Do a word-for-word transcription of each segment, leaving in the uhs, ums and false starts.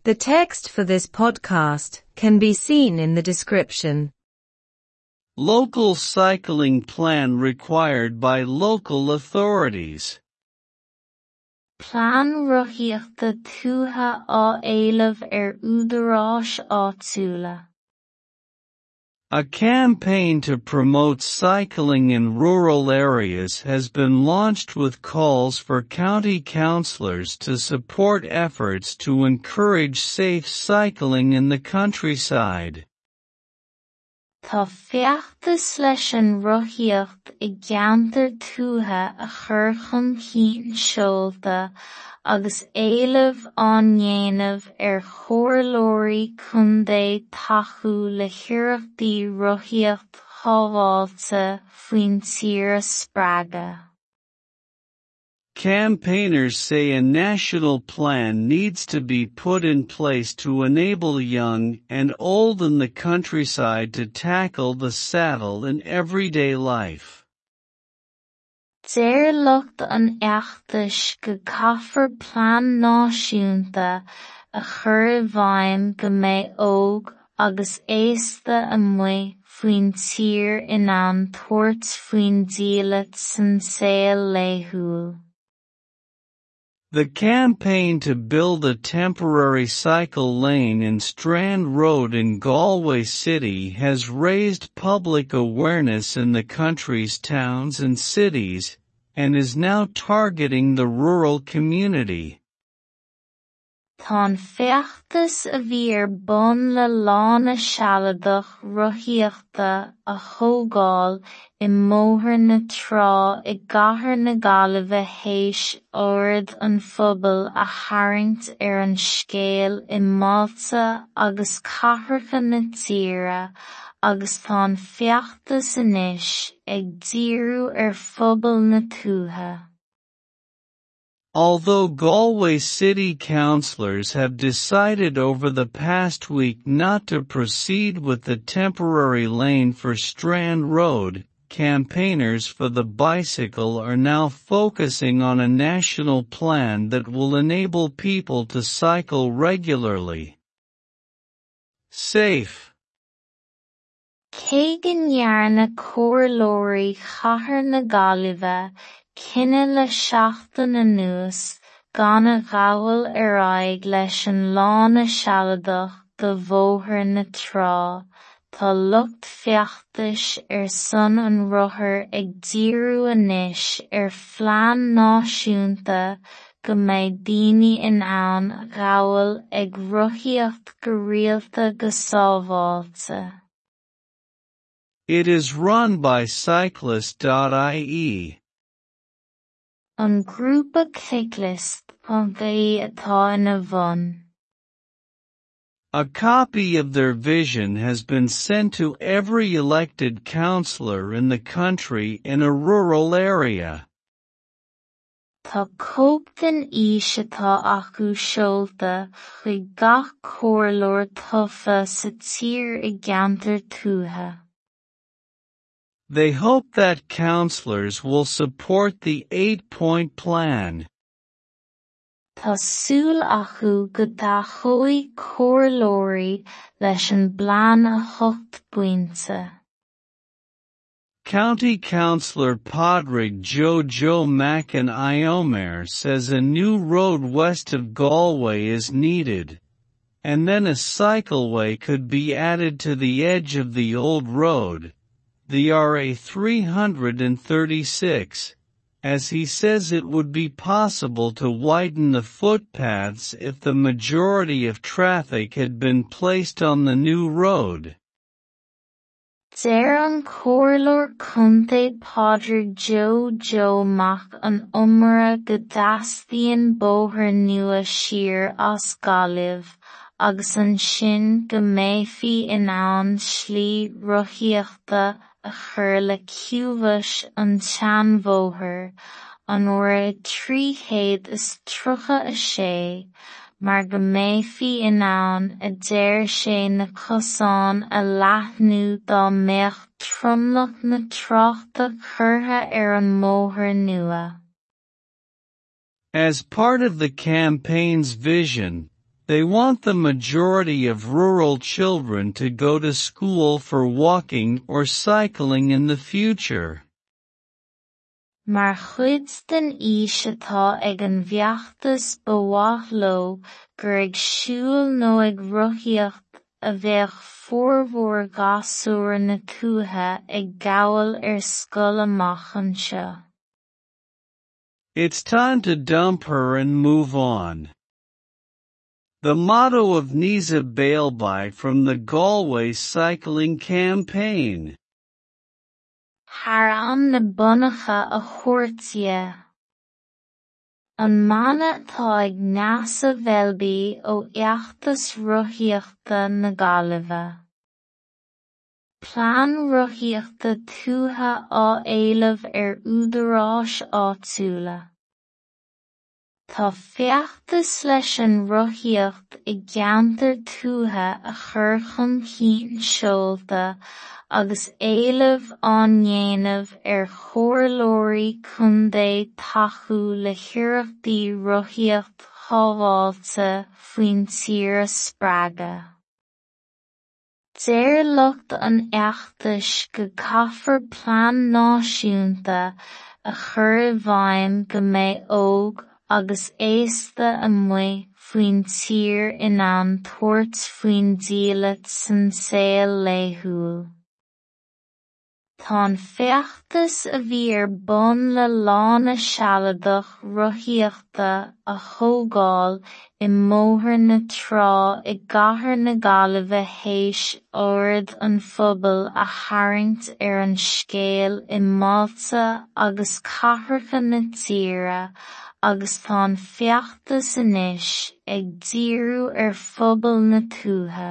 The text for this podcast can be seen in the description. Local cycling plan required by local authorities. Plean rothaíochta tuaithe á éileamh ar údaráis áitiúla. A campaign to promote cycling in rural areas has been launched with calls for county councillors to support efforts to encourage safe cycling in the countryside. Tá feachtas leis an rothaíocht i gceantar tuaithe a chur chun cinn seolta agus éilimh á ndéanamh ar chomhairleoirí contae tacú le hiarrachtaí rothaíocht shábháilte faoin tír a spreagadh. Campaigners say a national plan needs to be put in place to enable young and old in the countryside to tackle the saddle in everyday life. Deir lucht an fheachtais go gcaithfear plean náisiúnta a chur i bhfeidhm go mbeidh óg agus aosta amuigh faoin tír in ann tabhairt faoin diallait san saol laethúil. The campaign to build a temporary cycle lane in Strand Road in Galway City has raised public awareness in the country's towns and cities, and is now targeting the rural community. Tá an feachtas a bhí ar bun le lána sealadach rothaíochta a thógáil i mBóthar na Trá i gCathair na Gaillimhe théis aird an phobail a tharraingt ar an scéal i mbailte agus cathracha na tíre agus tá an feachtas anois ag díriú ar phobal na tuaithe. Although Galway City councillors have decided over the past week not to proceed with the temporary lane for Strand Road, campaigners for the bicycle are now focusing on a national plan that will enable people to cycle regularly. Safe. Cé go ndearna comhairleoirí Chathair na Gaillimhe cinneadh le seachtain anuas gan a ghabháil ar aghaidh leis an lána sealadach do Bhóthar na Trá, tá lucht feachtais ar son an rothair ag díriú anois ar phlean náisiúnta go mbeidh daoine in ann a ghabháil ag rothaíocht go rialta go sábháilte. It is run by cyclist.ie. An grúpa cyclist.ie atá ina bhun. A copy of their vision has been sent to every elected councillor in the country in a rural area. Tá cóip den fhís atá acu seolta chuig gach comhairleoir tofa sa tír i gceantar tuaithe. They hope that councillors will support the eight-point plan. Tá súil acu go dtacóidh comhairleoirí leis an bplean a hocht bpointe. County Councillor Padraig Joe Joe Mac an Iomaire says a new road west of Galway is needed, and then a cycleway could be added to the edge of the old road, the RA three hundred thirty-six, as he says it would be possible to widen the footpaths if the majority of traffic had been placed on the new road. Deir an comhairleoir contae Padraig Joe Joe Mac an Iomaire go dteastaíonn bóthar nua siar as Gaillimh agus ansin go mbeifí in ann slí rothaíochta a chur le ciumhais an tseanbhóthair, an RA trí chéad is tríocha a sé, mar go mbeifí in ann a deir sé na cosáin a leathnú dá mbeadh tromlach na tráchta curtha ar an mbóthar nua. As part of the campaign's vision, They want the majority of rural children to go to school for walking or cycling in the future. Mar chuid den fhís atá ag an bhfeachtas ba mhaith leo gur ag siúl nó ag rothaíocht a bheadh formhór ghasúir na tuaithe ag gabháil ar scoil amach anseo. It's time to dump her and move on. The motto of Neasa Bailby from the Galway Cycling Campaign. Thar am na bonnacha a thabhairt dhe. An mana atá ag Neasa Bheilbí ó fheachtas rothaíochta na Gaillimhe. Plean rothaíochta tuaithe á éileamh ar údaráis áitiúla. Tá feachtas leis an rothaíocht i gceantar tuaithe a chur chun cinn seolta agus éileamh á ndéanamh ar chomhairleoirí contae tacú le hiarrachtaí rothaíocht shábháilte faoin tír a spreagadh. Deir lucht an fheachtais go gcaithfear plean náisiúnta a chur i bhfeidhm go mbeidh óg agus aosta amuigh faoin tír in ann tabhairt faoin diallait san saol laethúil. Tá an feachtas a bhí ar bun le lána sealadach rothaíochta a thógáil i mBóthar na Trá i gCathair na Gaillimhe théis aird an phobail a tharraingt ar an scéal i mbailte agus cathracha na tíre agus tá an feachtas anois ag díriú ar phobal na tuaithe.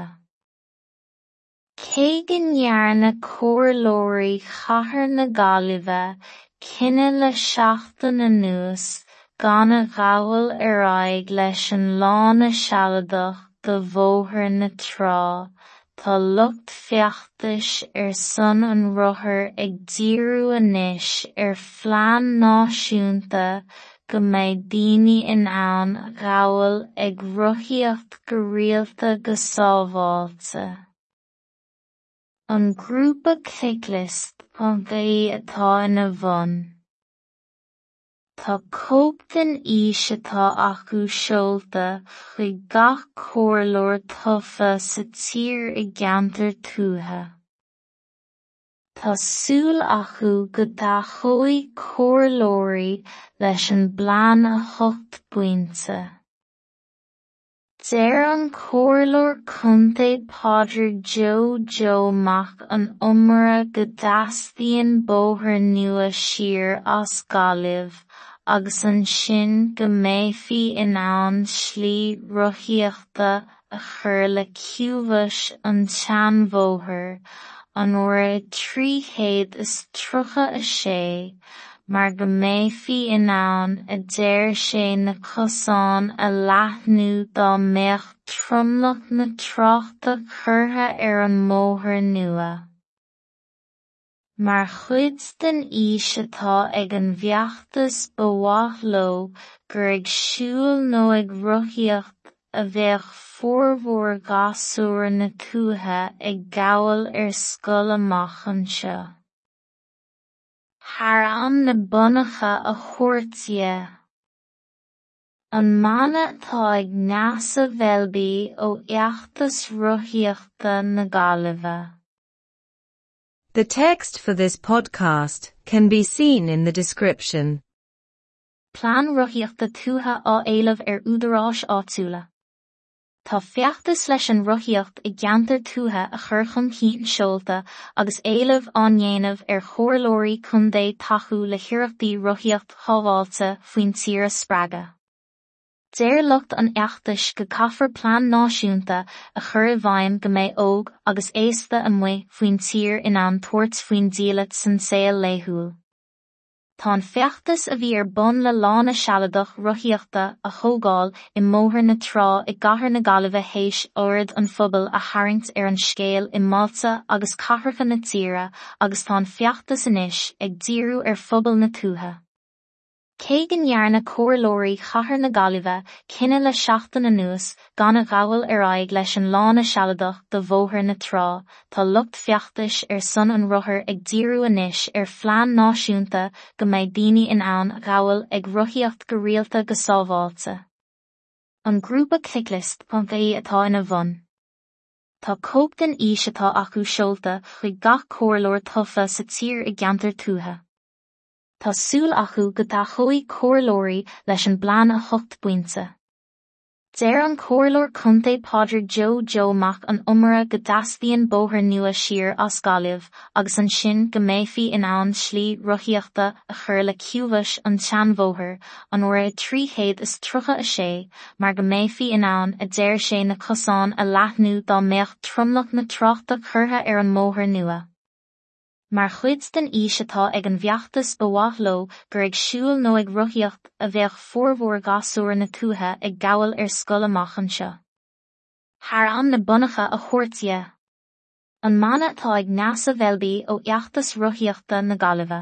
Cé go ndearna comhairleoirí Chathair na Gaillimhe cinneadh le seachtain anuas gan a ghabháil ar aghaidh leis an lána sealadach do Bhóthar na Trá, tá lucht feachtais ar son an rothair ag díriú anois ar phlean náisiúnta go mbeidh daoine in ann a ghabháil ag rothaíocht go rialta go sábháilte. An grúpa Cyclist ponc ie atá ina bhun. Tá cóip den fhís atá acu seolta chuig gach comhairleoir tofa sa tír i gceantar tuaithe. Tá súil acu go dtacóidh comhairleoirí leis an bplean a hocht bpointe. Deir an comhairleoir contae Pádraig Joe Joe Mac an Iomaire go dteastaíonn bóthar nua siar as Gaillimh agus ansin go mbeifí in ann slí rothaíochta a chur le ciumhais an tseanbhóthair, an uair trí chéad is tríocha a sé, mar go mbeifí in ann a deir sé na cosáin a leathnú dá mbeadh tromlach na tráchta curtha ar an mbóthar nua. Mar chuid den fhís atá ag an bhfeachtas ba mhaith leo gur ag siúl nó ag rothaíocht a bheadh formhór ghasúir na tuaithe ag gabháil ar scoil amach anseo. Thar am na bonnacha a thabhairt dhe. An mana atá ag Neasa Bheilbí ó fheachtas rothaíochta na Gaillimhe. The text for this podcast can be seen in the description. Plean rothaíochta tuaithe á éileamh ar údaráis áitiúla. Tá feachtas leis an rothaíocht i gceantar tuaithe a chur chun cinn seolta agus éileamh á ndéanamh ar chomhairleoirí contae tacú le hiarrachtaí rothaíocht shábháilte faoin tír a spreagadh. Deir lucht an fheachtais go gcaithfear plean náisiúnta a chur i bhfeidhm go mbeidh óg agus aosta amuigh faoin tír in ann tabhairt faoin diallait san saol laethúil. Tá an feachtas a bhí ar bun le lána sealadach rothaíochta a thógáil i mBóthar na Trá i gCathair na Gaillimhe théis aird an phobail a tharraingt ar an scéal i mbailte agus cathracha na tíre agus tá an feachtas anois ag díriú ar phobal na tuaithe. Cé go ndearna comhairleoirí chathair na Gaillimhe cinneadh le seachtain anuas gan a ghabháil ar aghaidh leis an lána sealadach do Bhóthar na Trá, tá lucht feachtais ar son an rothair ag díriú anois ar phlean náisiúnta go mbeidh daoine in ann a ghabháil ag rothaíocht go rialta go sábháilte. An grúpa cyclist.ie atá ina bhun. Tá cóip den fhís atá acu seolta chuig gach comhairleoir tofa sa tír i gceantar tuaithe. Tá súil acu go dtacóidh comhairleoirí leis an bplean a hocht bpointe. Deir an comhairleoir contae Pádraig Joe Joe Mac an Iomaire go dteastaíonn bóthar nua siar as Gaillimh agus ansin go mbeifí in ann slí rothaíochta a chur le ciumhais an tseanbhóthair an R trí chéad is tríocha a sé mar go mbeifí in ann a deir sé na cosáin a leathnú dá mbeadh tromlach na tráchta curtha ar an mbóthar nua. Mar chuid den fhís atá ag an bhfeachtas ba mhaith leo gur ag siúl nó ag rothaíocht a bheadh formhór gasúir na tuaithe ag gabháil ar scoil amach anseo. Thar am na bunachta a thabhairt dhe. An mana atá ag Neasa Bheilbí ó fheachtas rothaíochta na Gaillimhe.